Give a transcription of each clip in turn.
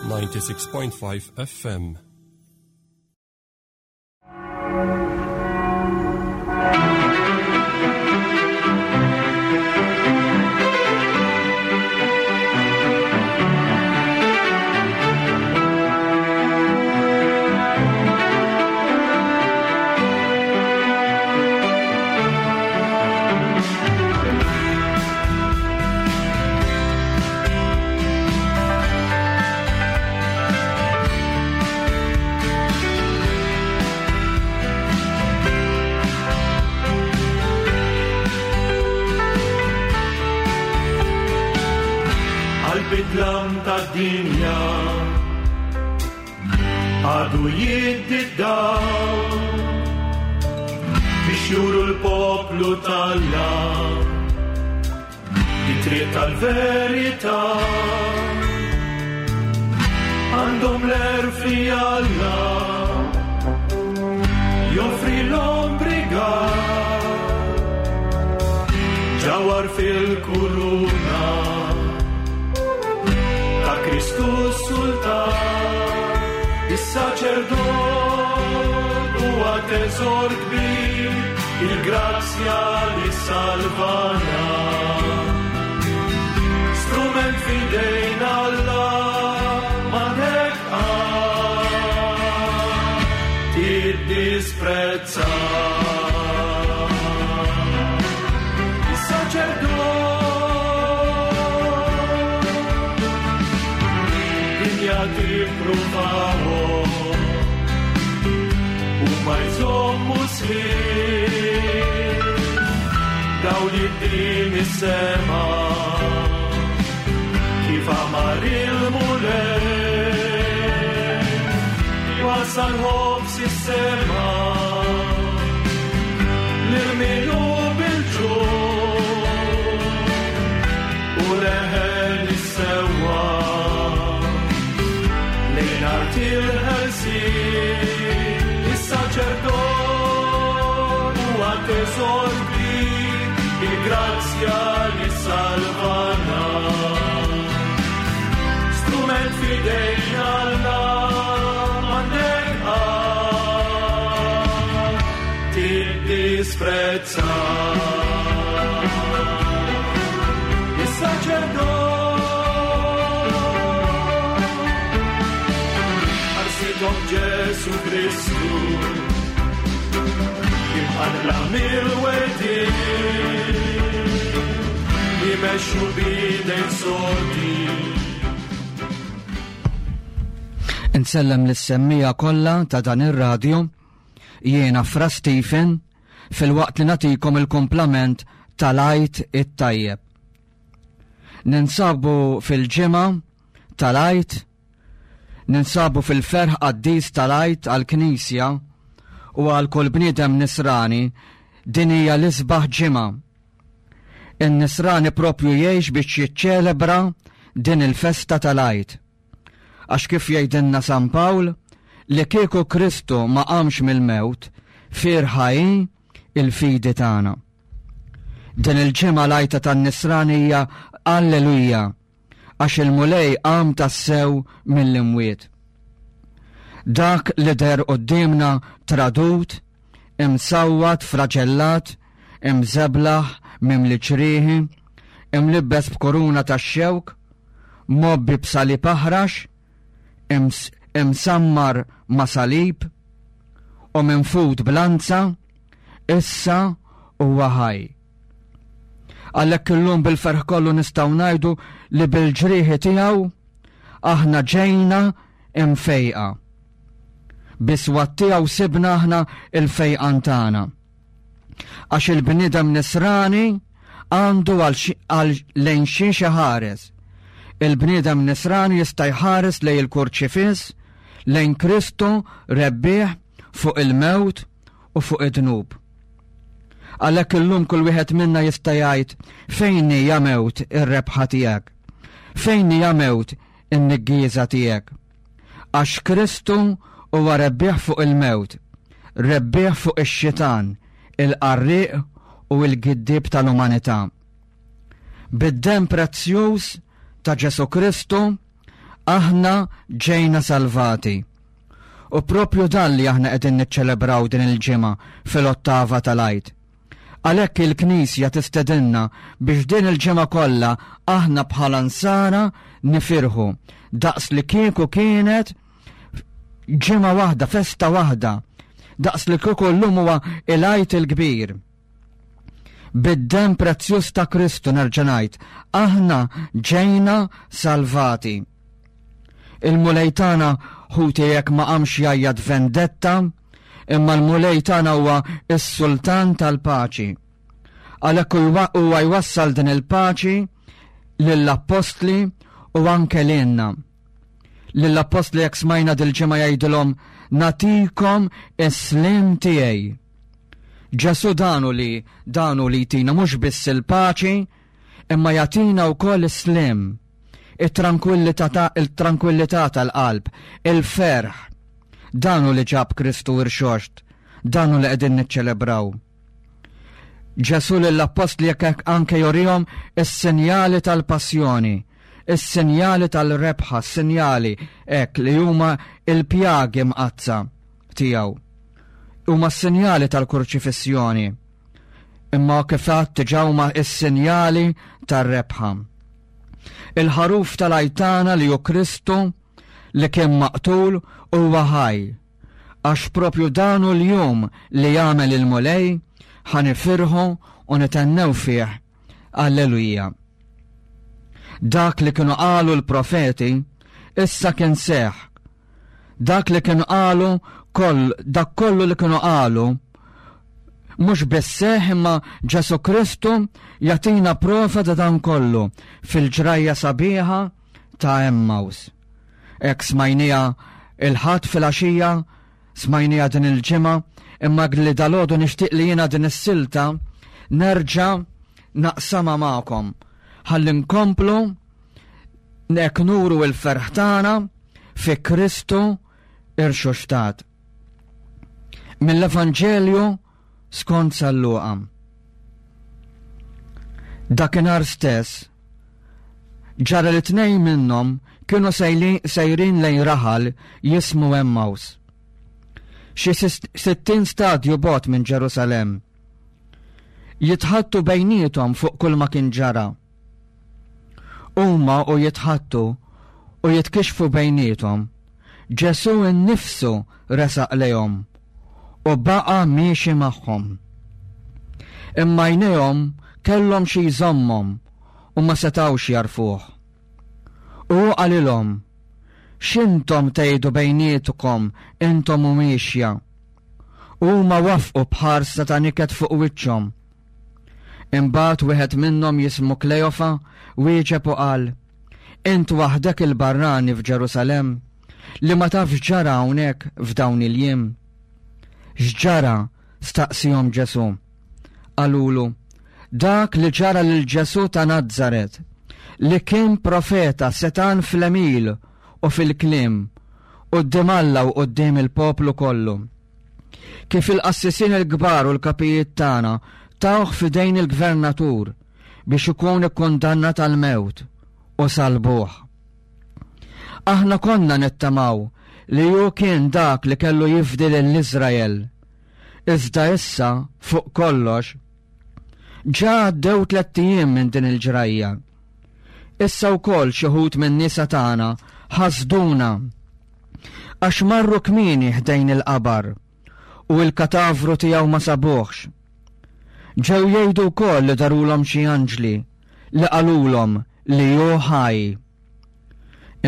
96.5 FM. Għal-bidlam tad-dinja għadu jiddi d-dawl biex juru l-poplu talla it-triq tal-verità għandhom l-erfi Alla joffri l-ombriga ġawar fil-kuruna ta' Kristu Sultan is-saċerdot huwa teżor kbir il-grazzja li salvana. Strument fidejn Alla m'għandek tiddisprezza. Is-saċerdot dinja tippruvahom u ma jżommu sħiħ daw li din is-sema kif amar il-Mulej wasal ħobs is-sema lil min hu bil-ġuħ u leħen is-sewwa lejn art il-ħelsien is-saċerdot huwa teżor kbir il-grazzja li salvana. Strument fidejn Alla m'għandek qatt tiddisprezza. Is-saċerdot ħarsithom Ġesu Kristu imqanqla mill-wedin jimexxu bidejn sodi. Insellem lis-semmija kollha ta' dan ir-radju, jiena Fra Stephen, filwaqt li nagħtikom il-kumplament tal-Għid it-Tajjeb. Ninsabu fil-ġimgħa tal-Għid, ninsabu fil-ferħ qaddis tal-Għid għall-Knisja u għal kull bniedem nisrani din hija l-isbaħ ġimgħa. In-nisrani propju jgħix biex jiċċelebra din il-festa tal-Għid. Għax kif jgħidilna San Pawl, li kieku Kristu ma qamx mill-mewt, fierħa hi il-fidi tagħna. Din il-ġimgħa l-għajta tan-nisrani hija Alleluja, għax il-Mulej qam tassew mill-imwiet. Dak li deher quddiemna tradut, imsawwat, fraġellat, imżeblaħ, mimli ġrieħi, imlibbes b'kuruna tax-xewk, mgħobbi b'salib aħrax, imsammar ma' salib u minfud b'lanza, issa huwa ħaj. Għalhekk illum bil-ferħ kollu nistgħu ngħidu li bil-ġrieħi tiegħu aħna ġejna imfejqa. Biswat tiegħu sibna aħna il-fejqan tagħna. Għax il-bniedem nisrani għandu għal lejn xiex iħares. Il-bniedem nisrani jista' jħares lejn il-kurċifiss, lejn Kristu rebbieħ fuq il-mewt u fuq id-dnub. Għalhekk illum kull wieħed minna jista' jgħid fejn hija mewt ir-rebħa tiegħek? Fejn hija mewt in-niggieża tiegħek? Għax Kristu huwa rebbieħ fuq il-mewt, rebbieħ fuq ix-xitan, il-qarrieq u l-giddieb tal-umanità. Bid-demm prezzjuż ta' Ġesù Kristu, Aħna ġejna salvati. U propju dan li aħna qegħdin niċċelebraw din il-ġimgħa fil-ottava tal-Għid. Għalhekk il-Knisja tistedinna biex din il-ġimgħa kollha aħna bħala nsara nifirħu daqs li kieku kienet ġimgħa waħda, festa waħda, daqs li kieku llum huwa il-Għid il-kbir. Bid-demm prezzjuż ta' Kristu nerġa' ngħid, aħna ġejna salvati. Il-Mulej tagħna ħuti jekk ma qamx jgħajjat vendetta, imma l-Mulej tagħna huwa s-Sultan tal-paċi. Għalhekk huwa jwassal din il-paċi lill-appostli u anke lilna. Lill-appostli jekk smajna dil-ġimgħa jgħidilhom natikom is-slim tiegħi. Ġesù danu li danu li jtina mhux biss il-paċi, imma jagħtina wkoll is-slim, it-tranquillità il-tranquillità tal-qalb, il-ferħ. Danu li ġab Kristu irxoxt, danu li qegħdin niċċelebraw. Ġesù lill-appostli jekk anke jorihom is-sinjali tal-passjoni, is-sinjali tal-rebħa, s-sinjali hekk li huma il-pjagi mqaddsa tiegħu. Huma s-sinjali tal-kurċifissjoni, imma kif għedt diġà huma s-sinjali tar-rebħa. Il-ħaruf tal-għajtana li hu Kristu li kien maqtul huwa ħaj, għax propju dan hu l-jum li jagħmel il-Mulej ħa nifirħu u nitennew fih. Alleluja. Dak li kienu qalu l-profeti issa kien seħ. Dak li kienu qalu koll, dak kollu li kienu qalu mhux biss seħ imma Ġesu Kristu jagħtina prova ta' dan kollu fil-ġrajja sabiħa ta' Emmaus. Hekk smajnija il-Ħadd filgħaxija, smajnija din il-ġimgħa, imma li dalgħodu nixtieq li jiena din is-silta nerġa' naqsamha magħkom ħalli nkomplu nek nuru l-ferħ tagħna fi Kristu irxoxtat. Mill-Evanġelju skont San Luqa. Dakinhar stess, ġara li tnejn minnhom kienu sejrin lejn raħal jismu Emmaus. Xi 60 stadju bogħod minn Ġerusalemm. Jitħattu bejniethom fuq kull ma kien ġara. Huma u jitħattu u jitkixxfu bejniethom, Ġesù nnifsu resaq lejhom u baqa' miexi magħhom. Imma għajnejhom kellhom xi jżommhom u ma setgħux jagħrfuh. U hu qalilhom, X'intom tgħidu bejnietkom intom u miexja? U huma wafqu b'ħarsa ta' niket fuq wiċċhom. Imbagħad wieħed minnhom jismu Kleofa wieġeb u qal, Int waħdek il-barrani f'Ġerusalemm li ma tafx x'ġara hawnhekk f'dawn il-jiem? X'ġara? staqsihom Ġesù. Qalulu, Dak li ġara lil Ġesù ta' Nazaret, li kien profeta setgħan fl-għemil u fil-kliem, quddiem Alla u quddiem il-poplu kollu. Kif il-qassisin il-kbar u l-kapijiet tagħna tawh f'idejn il-gvernatur biex ikun ikkundannat għall-mewt u salbuh. Aħna konna nittamaw li hu kien dak li kellu jifdi lil Iżrael. Iżda issa, fuq kollox, ġa għaddew tlett ijiem minn din il-ġrajja. Issa wkoll xi wħud min-nisa tagħna ħasduna għax marru kmieni ħdejn il-qabar u l-katavru tiegħu ma sabuhx. Ġew jgħidu wkoll li darulhom xi anġli li qalulhom li hu ħaj.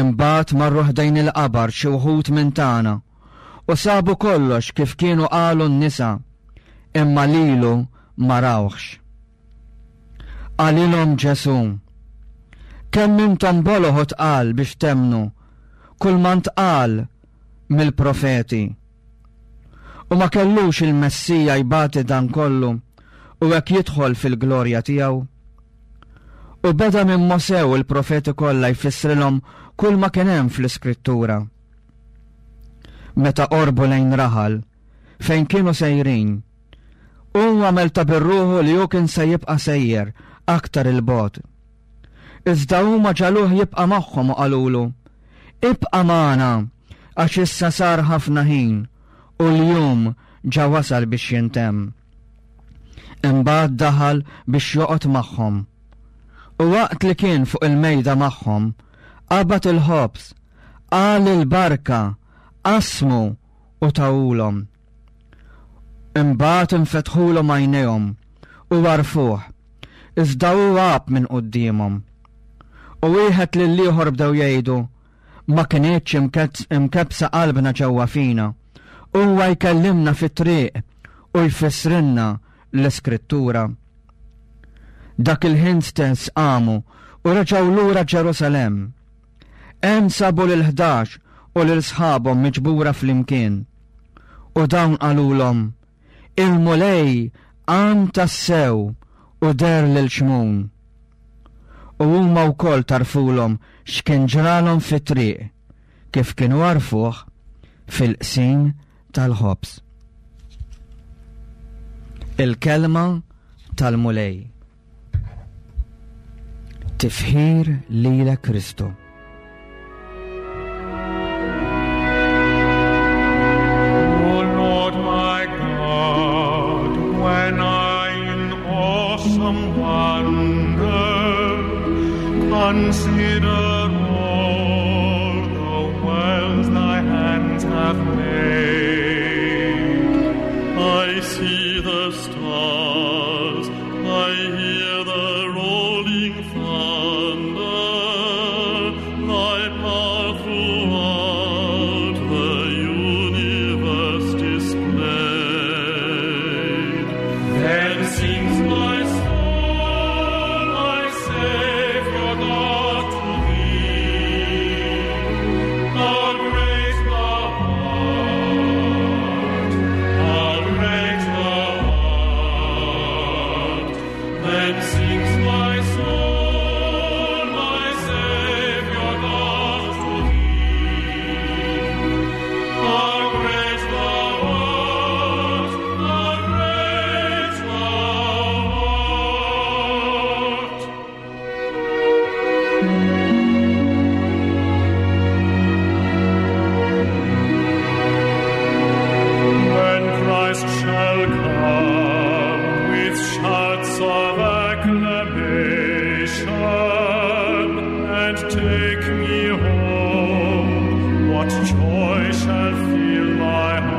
Imbagħad marru ħdejn il-qabar xi wħud minn tagħna u sabu kollox kif kienu qalu n-nisa, imma lilu ma rawhx. Qalilhom Ġesù, Kemm intom boloh u tqal biex temmnu kull ma ntqal mill-profeti. U ma kellux il-Messija jbati dan kollu u hekk jidħol fil-glorja tiegħu? U beda minn Mosè u l-profeti kollha jfissrilhom kull ma kien hemm fl-Iskrittura. Meta qorbu lejn raħal fejn kienu sejrin, Hu għamel ta' bir-ruħu li hu kien se jibqa' sejjer aktar 'il bogħod. Iżda huma ġagħluh jibqa' magħhom u qalulu, Ibqa' magħna għax issa sar ħafna ħin u l-jum ġa wasal biex jintemm. Imbagħad daħal biex joqgħod magħhom. U waqt li kien fuq il-mejda magħhom, qabad il-ħobż, qal il-barka, qasmu u tawulhom. Imbagħad infetħulhom għajnejhom u għarfuh, iżda hu għab minn quddiemhom. U wieħed lill-ieħor bdew jgħidu, ma kinitx imkebbsa qalbna ġewwa fina. Huwa jkellimna fit-triq u jfissrilna l-Iskrittura. Dak il-ħin stess qamu u reġgħu lura Ġerusalemm. Hemm sabu lil 11 u lil sħabhom miġbura flimkien. U dawn qalulhom, Il-Mulej qam tassew u deher lil Xmun. U huma wkoll tarfulhom x'kien ġralhom fit-triq, kif kienu għarfuh fil-qsim tal-ħobż. Il-kelma tal-Mulej. Tifħir lilek Kristu. O Lord my God, when I in awesome wonder consider all the worlds thy hands have made, I see the stars, I hear the rolling thunder, thy power throughout the universe displayed. Then sings my soul, my Savior God, to thee. How great thou art, how great thou art. Then sings my soul, my Savior God, to thee. How great thou art, how great thou art. When Christ shall come with shouts of acclamation and take me home, what joy shall fill my heart?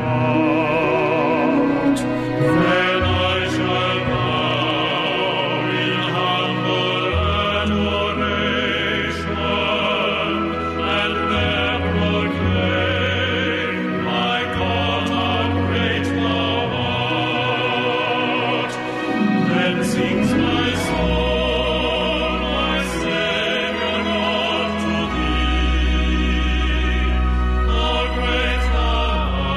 Then I shall bow in humble adoration and there proclaim, My God, how great thou art. Then sings my soul, my Savior God, to thee. How great thou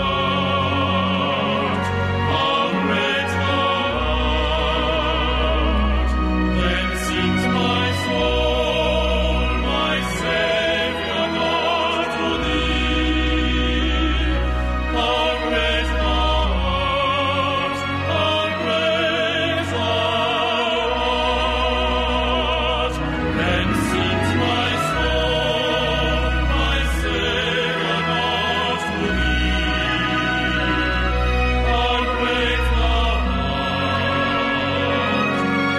art, how great thou art. Then sings my soul, my Savior God, to thee. How great thou art, how great thou art. Then sings my soul, my Savior God, to thee. How great thou art,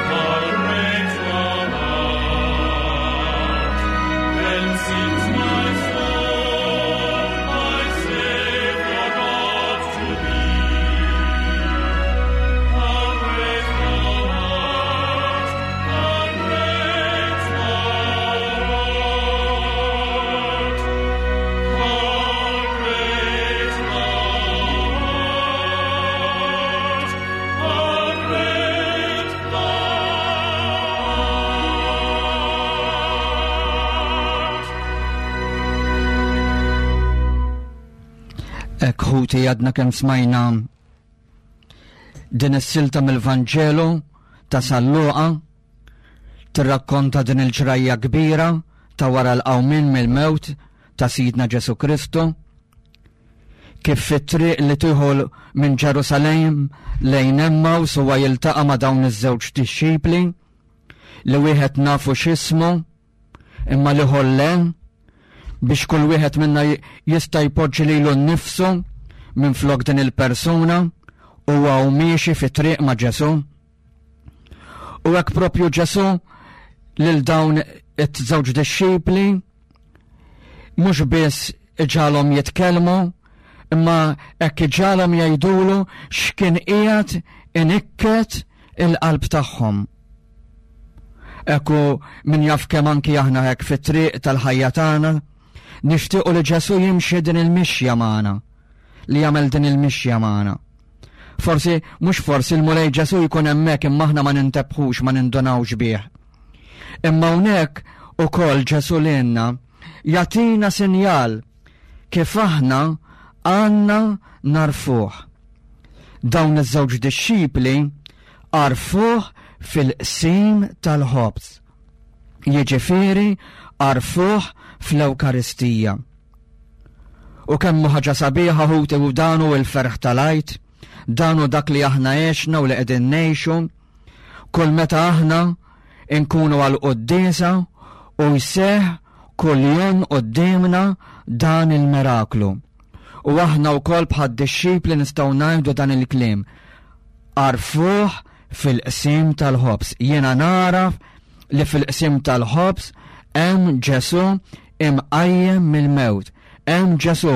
how great thou art. Then sings my soul, my Savior God, to thee. How great thou art, how great thou art. How great thou art, how great thou art. Hekk ħuti għadna kemm smajna din is-silta mill-Vanġelu ta' San Luqa tirrakkonta din il-ġrajja kbira ta' wara l-qawmien mill-mewt ta' Sidna Ġesu Kristu kif fit-triq li tieħu minn Ġerusalemm lejn Emmaus huwa jiltaqa' ma' dawn iż-żewġ dixxipli li wieħed nafu x'ismu imma l-ieħor le. Biex kull wieħed minna jista' jpoġġi lilu nnifsu minn flok din il-persuna huwa u miexi fi triq ma' Ġesù. U hekk propju Ġesù lil dawn it-żewġ dixxipli mhux biss iġalhom jitkellmu, imma hekk iġalhom jgħidulu x'kien qiegħed inikket il-qalb tagħhom. Ekku min jaf kemm anki aħna hekk fit-triq tal-ħajja tagħna, nixtiequ li Ġesù jimxi din il-mixja magħna, li jagħmel din il-mixja magħna. Forsi, mhux forsi l-Mulej Ġesù jkun hemmhekk imma aħna ma nintebħux, ma nindunawx bih. Imma hawnhekk ukoll Ġesù lilna jagħtina sinjal kif aħna għandna narfuh. Dawn iż-żewġ dixxipli għarfuh fil-qsim tal-ħobż. Jiġifieri għarfuh fl-Ewkaristija. U kemm hu ħaġa sabiħa ħuti u dan hu l-ferħ tal-Għid, dan hu dak li aħna għexna u li qegħdin ngħixu. Kull meta aħna nkunu għal quddiesa u jseħ kull jum quddiemna dan il-miraklu. U aħna wkoll bħad-dixxipli nistgħu ngħidu dan il-kliem. Għarfuh fil-qsim tal-ħobż. Jiena naraf li fil-qsim tal-ħobż hemm Ġesù imqajjem mill-mewt. Hemm Ġesù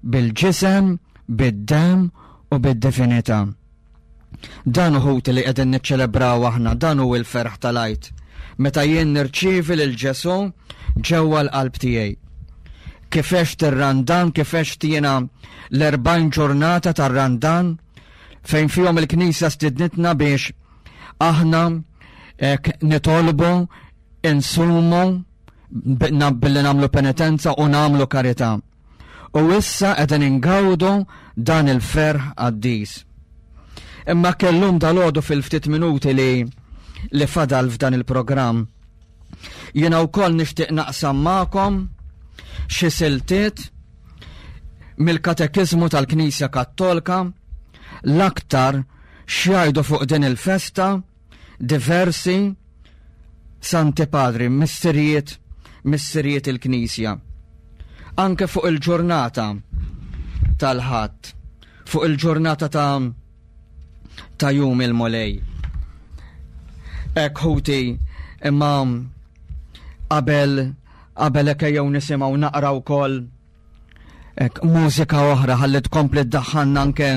bil-ġisem, bid-demm u bid-divinità. Dan uħut li qegħdin niċċelebraw aħna, dan hu l-ferħ tal-Għid. Meta jien nirċievi lil Ġesù ġewwa l-qalb tiegħi. Kif għext ir-Randan, kif għext jiena l-40 ġurnata tar-Randan, fejn fihom il-Knisja stidnitna biex aħna ek nitolbu, insumu, billi namlu penitenza u namlu karità. U issa qegħdin ingawdu dan il-ferħ qaddis. Imma kellum dal-għodu fil-ftit minuti li li fadal f'dan il-programm. Jiena wkoll nixtieq naqsam magħkom xi siltiet mill-Katekiżmu tal-Knisja Kattolka l-aktar x'jgħidu fuq din il-festa diversi Santi Padri, missirijiet, missirijiet il-Knisja. Anke fuq il-ġurnata tal-Ħadd, fuq il-ġurnata ta' ta' jum il-Mulej. Ek ħuti, imma qabel qabel hekk ejjew nisimgħu naqra wkoll Ek, mużika oħra ħalli tkompli ddaħħalna anke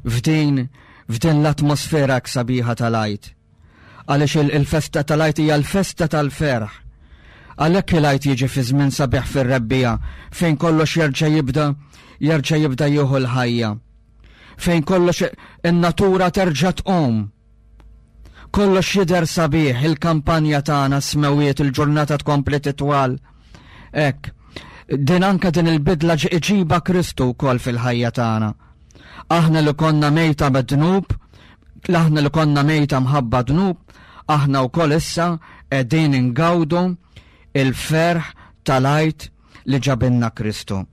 f'din f'din l-atmosfera hekk sabiħa tal-Għid. Għaliex il-festa tal-Għid hija l-festa tal-ferħ. Għalhekk il-Għid jiġi fi żmien sabiħ fir-rebbiegħa fejn kollox jerġa' jibda jerġa' jibda jieħu l-ħajja. Fejn kollox in-natura terġa' tqum. Kollox jidher sabiħ, il-kampanja tagħna smewiet, il-ġurnata tkompli titwal. Hekk, din anke din il-bidla iġiba Kristu wkoll fil-ħajja tagħna. Aħna li konna mejta b'dnub, aħna li konna mejta mħabba dnub, aħna wkoll issa qegħdin ingawdu il-ferħ tal-Għid li ġabilna Kristu.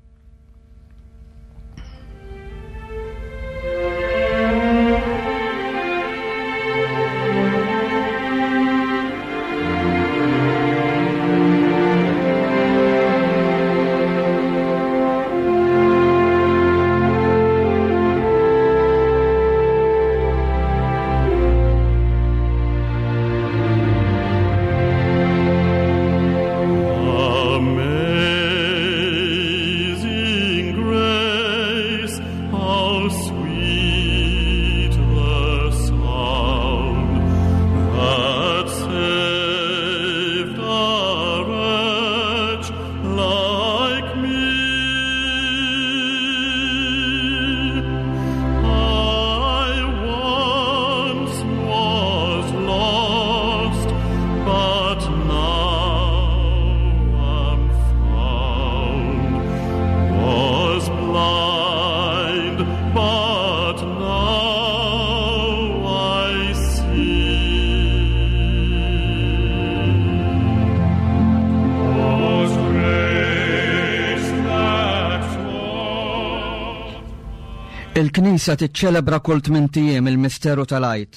Il-Knisja tiċċelebra kull tmint ijiem il-misteru tal-Għid.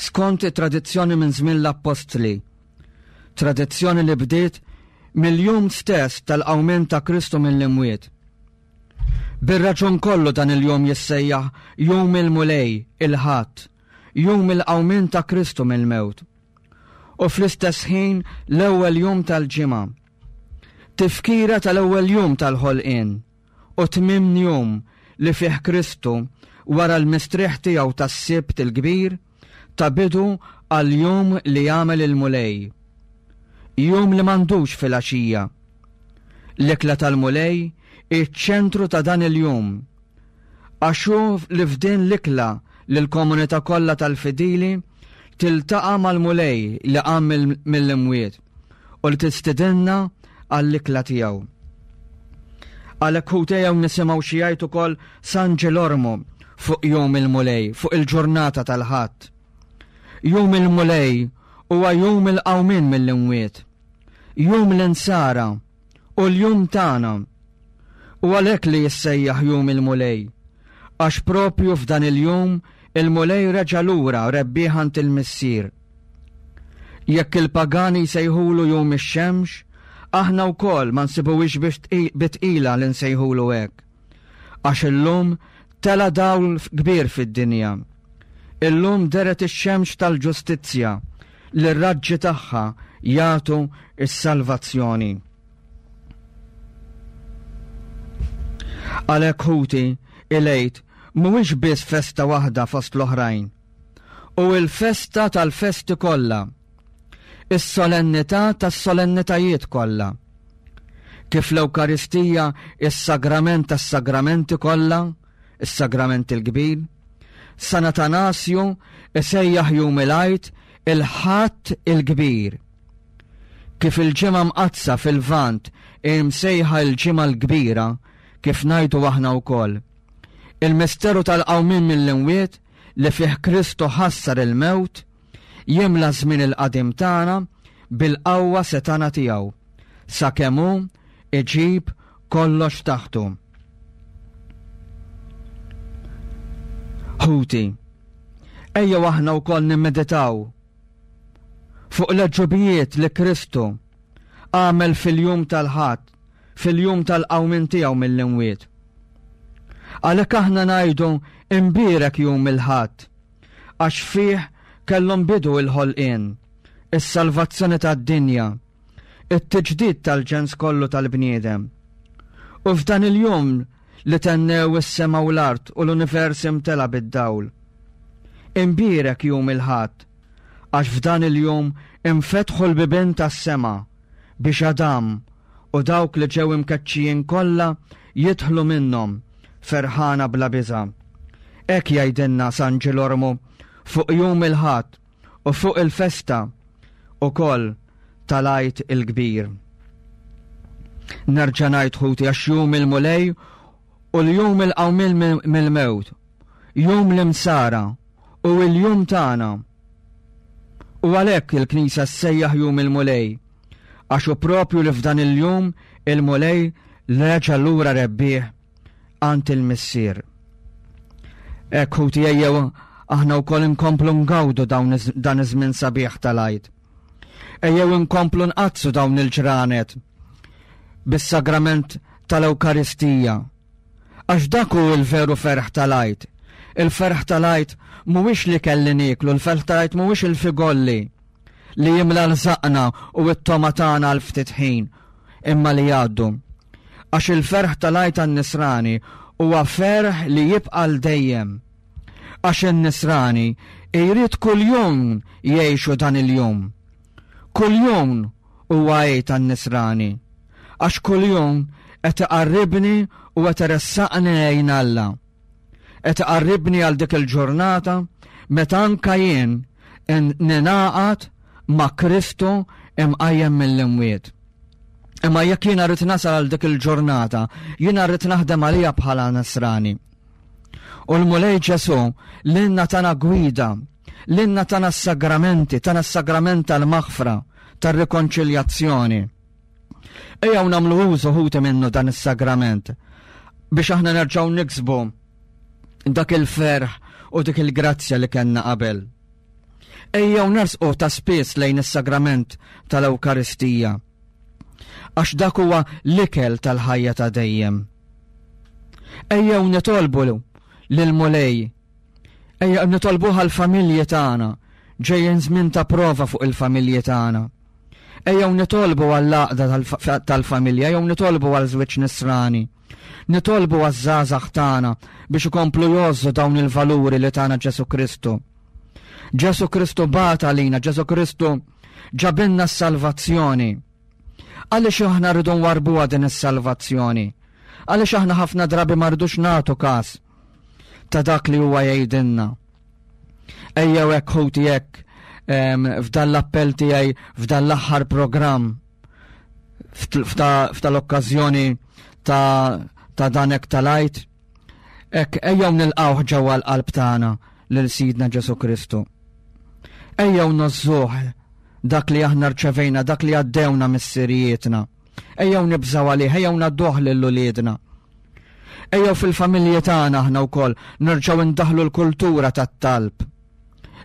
Skont it-tradizzjoni minn żmien l-Appostli. Tradizzjoni li bdiet mill-jum stess tal-qawmien ta' Kristu mill-imwiet. Bir-raġun kollu dan il-jum jissejjaħ Jum il-Mulej, il-Ħadd, jum il-qawmien ta' Kristu mill-mewt. U fl-istess ħin l-ewwel jum tal-ġimgħa. Tifkira tal-ewwel jum tal-ħolqien u tmiem jum li fih Kristu wara l-mistrieħ tiegħu tas-Sibt il-Kbir ta bidu għal jum li jagħmel il-Mulej. Jum li m'għandux filgħaxija. L-ikla tal-Mulej hi ċ-ċentru ta' dan il-jum. Għax hu li f'din l-ikla li l-komunità kollha tal-fidili tiltaqa' mal-Mulej li qam mill-imwiet u li tistidinna għall-ikla tiegħu. Għalhekk ħuti ejjew nisimgħu xi jgħid ukoll San Ġilormu fuq jum il-Mulej, fuq il-ġurnata tal-Ħadd. Jum il-Mulej huwa jum il-qawmien mill-imwiet, jum l-insara u l-jum tagħna. U għalhekk li jissejjaħ jum il-Mulej, għax propju f'dan il-jum il-Mulej reġa' lura rebbieħ għand il-Missier. Jekk il-pagani jsejħulu jum ix-xemx, aħna wkoll ma nsibuhiex bi tqila li nsejħulu hekk. Għax illum tela' dawl kbir fid-dinja. Illum deret ix-xemx tal-ġustizzja li r-raġġi tagħha jagħtu s-salvazzjoni. Għalhekk ħuti, il-Għid mhuwiex biss festa waħda fost l-oħrajn. U l-festa tal-festi kollha. Is-solennità tas-solennitajiet kollha. Kif l-Ewkaristija is-sagrament tas-sagramenti kollha, is-sagrament il-kbir, San Atanasju isejjaħ jum il-Għid il-Ħadd il-Kbir. Kif il-Ġimgħa Mqaddsa fil-Lvant hi msejħa l-Ġimgħa l-Kbira, kif ngħidu aħna wkoll. Il-misteru tal-qawmien mill-imwiet li fih Kristu ħassar il-mewt, jimla ż-żmien il-qadim tagħna bil-qawwa setgħana tiegħu, sakemm hu iġib kollox taħtu. Ħuti, ejjew aħna wkoll nimmeditaw fuq l-għeġubijiet li Kristu għamel fil-jum tal-Ħadd, fil-jum tal-qawmien tiegħu mill-imwiet. Għalhekk aħna ngħidu imbierek jum il-Ħadd, għax fih kellhom bidu il-ħolqien, is-salvazzjoni tad-dinja, it-tiġdid tal-ġens kollu tal-bniedem. U f'dan il-jum li tennew is-sema u l-art u l-univers imtela bid-dawl. Imbierek jum il-Ħadd, għax f'dan il-jum infetħu l-bibien tas-sema biex Adam u dawk li ġew imkeċċijin kollha jidħlu minnhom ferħana bla biża'. Hekk jgħidilna San Ġilormu fuq jum il-Ħadd u fuq il-festa ukoll tal-Għid il-Kbir. Nerġa' ngħid ħuti għax jum il-Mulej u l-jum il-qawmien mill-mewt, jum l-imsara u l-jum tagħna. U għalhekk il-Knisja ssejjaħ jum il-Mulej, għax hu propju li f'dan il-jum il-Mulej reġa' lura rebbieħ għand il-Missier. Hekk ħuti ejjew aħna wkoll inkomplu ngawdu dan iż-żmien sabiħ tal-Għid. Ejjew inkomplu nqaddsu dawn il-ġranet bis-sagrament tal-Ewkaristija. Għax dak hu l-veru ferħ tal-Għid. Il-ferħ tal-Għid mhuwiex li kelli nieklu, il-ferħ tal-Għid mhuwiex il-figolli li jimla l-żaqna u t-toma tagħna għal ftit ħin, imma li jgħaddu. Għax il-ferħ tal-Għid għan-Nisrani huwa ferħ li jibqa' għal dejjem. Għax in-Nisrani jrid kuljum jgħixu dan il-jum. Kuljum huwa Għid għan-Nisrani. Għax kuljum qed iqarribni u qed iressaqni lejn Alla. Qed iqarribni għal dik il-ġurnata meta anka jien ninaqat ma' Kristu imqajjem mill-imwiet. Imma jekk jiena rrid nasal għal dik il-ġurnata, jiena rrid naħdem għalija bħala Nasrani. U l-Mulej Ġesu lilna tana gwida, lilna tana s-sagramenti, tana s-sagrament tal-maħfra, tar-rikonċiljazzjoni. Ejjew nagħmlu użu ħuti minnu dan is-sagrament biex aħna nerġgħu niksbu dak il-ferħ u dik il-grazzja li kellna qabel. Ejjew nersqu ta' spiss lejn is-sagrament tal-Ewkaristija. Għax dak huwa l-ikel tal-ħajja ta' dejjem. Ejjew nitolbu lill-Mulej. Ejjew nitolbuh għall-familji tagħna, ġejjin żmien ta' prova fuq il-familji tagħna. Ejjew nitolbu għall-għaqda tal-familja, ejjew nitolbu għal żwieġ nisrani. Nitolbu għaż-żgħażagħ tagħna biex ikomplu jgħożżu dawn il-valuri li tana Ġesù Kristu. Ġesù Kristu bagħat għalina, Ġesù Kristu ġabilna s-salvazzjoni. Għaliex aħna rridu nwarbuha din is-salvazzjoni? Għaliex aħna ħafna drabi ma rridux nagħtu każ ta' dak li huwa jgħidilna? Ejjew hekk ħuti hekk f'dan l-appell tiegħi f'dan l-aħħar programm f'tal-okkażjoni ta' ta' dan hekk tal-Għid. Hekk ejjew nilqgħuh ġewwa l-qalb tagħna lil Sidna Ġesù Kristu. Ejjew nozzuh dak li aħna rċevejna, dak li għaddewna missirijietna. Ejjew nibżgħu għalih, ejjew ngħadduh lil uliedna. Ejjew fil-familji tagħna aħna wkoll nerġgħu ndaħlu l-kultura tat-talb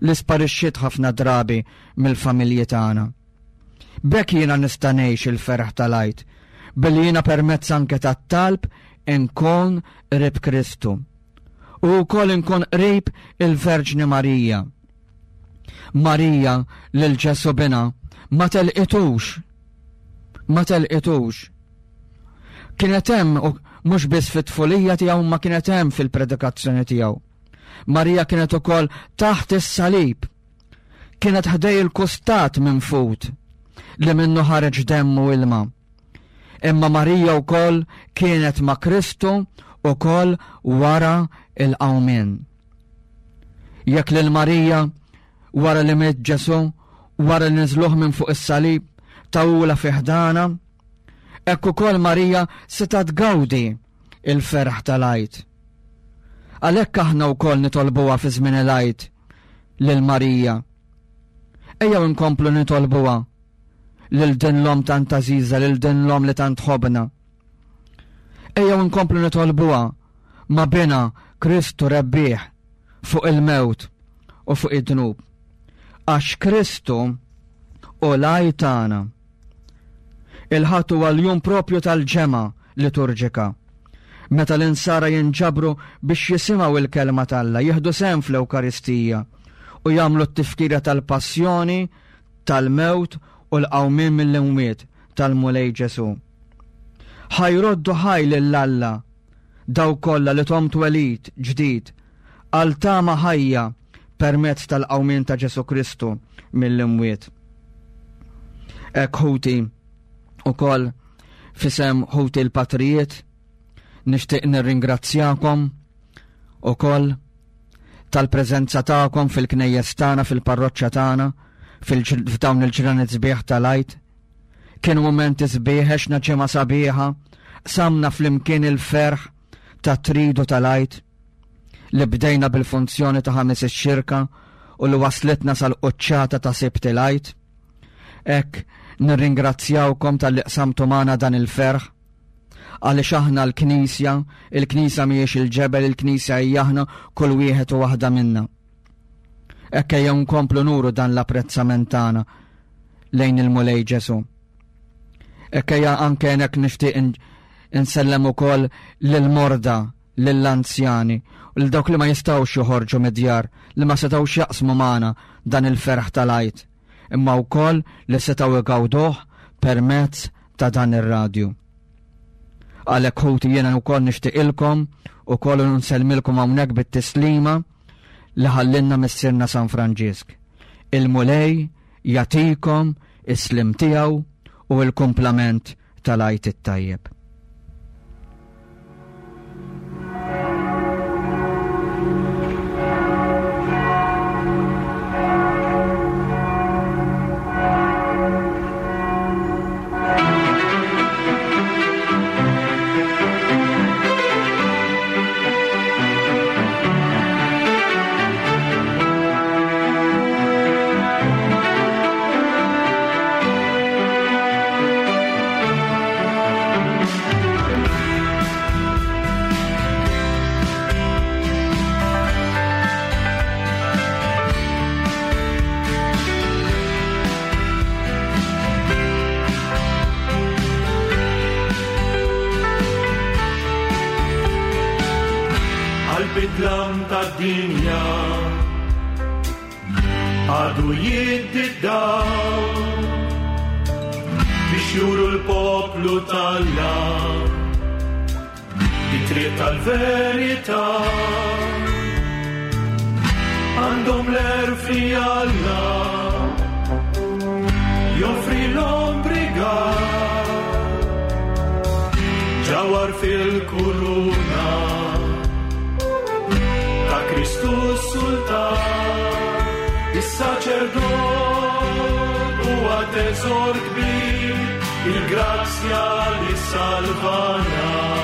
li sparixxiet ħafna drabi mill-familji tagħna. B'hekk jiena nista' ngħix il-ferħ tal-Għid, billi jiena permezz anke tat-talb inkun qrib Kristu. U wkoll inkun qrib il-Verġni Marija. Marija lil Ġesu bina ma telqitux. Ma telqitux. Kienet hemm mhux biss fit-tfulija tiegħu ma kienet hemm fil-predikazzjoni tiegħu. Marija kienet ukoll taħt is-salib. Kienet ħdej il-kustat minn fut li minnu ħareġ demm u ilma. Imma Marija wkoll kienet ma' Kristu ukoll wara il-qawmien. Jekk lil Marija wara li miet Ġesu, wara li niżluh minn fuq is-salib, tawula fi ħdana, hekk ukoll Marija seta' tgawdi il-ferħ tal-Għid. Għalhekk aħna wkoll nitolbuha fi żmien il-Għid lil Marija. Ejjew inkomplu nitolbuha lil din l-om tant għażiża, lil din l-om li tant ħobna. Ejjew inkomplu nitolbuha ma' bina Kristu rebbieħ fuq il-mewt u fuq id-dnub. Għax Kristu u l-għaj tagħna. Il-Ħadd huwa l-jum propju tal-ġemgħa liturġika. Meta l-insara jinġabru biex jisimgħu il-kelma t'Alla, jieħdu sehem fl-Ewkaristija u jagħmlu t-tifkira tal-passjoni, tal-mewt u l-qawmien mill-imwiet tal-Mulej Ġesu. Ħa jroddu ħaj lil Alla dawk kollha li thom twelid ġdid għal tama ħajja permezz tal-qawmien ta' Ġesu Kristu mill-imwiet. Hekk ħuti ukoll fisem ħuti l-patrijiet nixtieq nirringrazzjakom ukoll tal-preżenza tagħkom fil-knejjes tagħna, fil-parroċċa tagħna, f'dawn il-ġranet sbieħ tal-Għid. Kienu mumenti sbieħ, għexna ġimgħa sabiħa, qsamna flimkien il-ferħ ta' tridu tal-Għid li bdejna bil-funzjoni ta' ħames ix-xirka u li waslitna sal-quċċata ta' Sibt il-Għid. Hekk nirringrazzjawkom talli qsamtu magħna dan il-ferħ għaliex aħna l-Knisja, il-Knisja mhijiex il-ġebel, il-Knisja hija aħna kull wieħed u waħda minna. Hekk ejjew nkomplu nuru dan l-apprezzament tagħna lejn il-Mulej Ġesu. Hekk ejja anke hekk nixtieq insellem ukoll lill-morda, lill-anzjani, u lil dawk li ma jistgħux joħorġu mid-djar, li ma setgħux jaqsmu magħna dan il-ferħ tal-Għid, imma wkoll li setgħu jgawduh permezz ta' dan ir-radju. Għalhekk ħuti jiena wkoll nixtieqilkom ukoll nsellmilkom hawnhekk bit-tislima li ħallinna missierna San Franġisk. Il-Mulej jagħtikom is-slim tiegħu u l-kumplament tal-Għid it-tajjeb. Fid-dlam tad-dinja għadu jiddi d-dawl biex juru l-poplu t'Alla it-triq tal-verità. Għandhom l-għerf li Alla joffri l-ombrigal ġawar fil-kuruna ta' Kristu Sultan, is-saċerdot huwa teżor kbir, il-grazzja li salvana.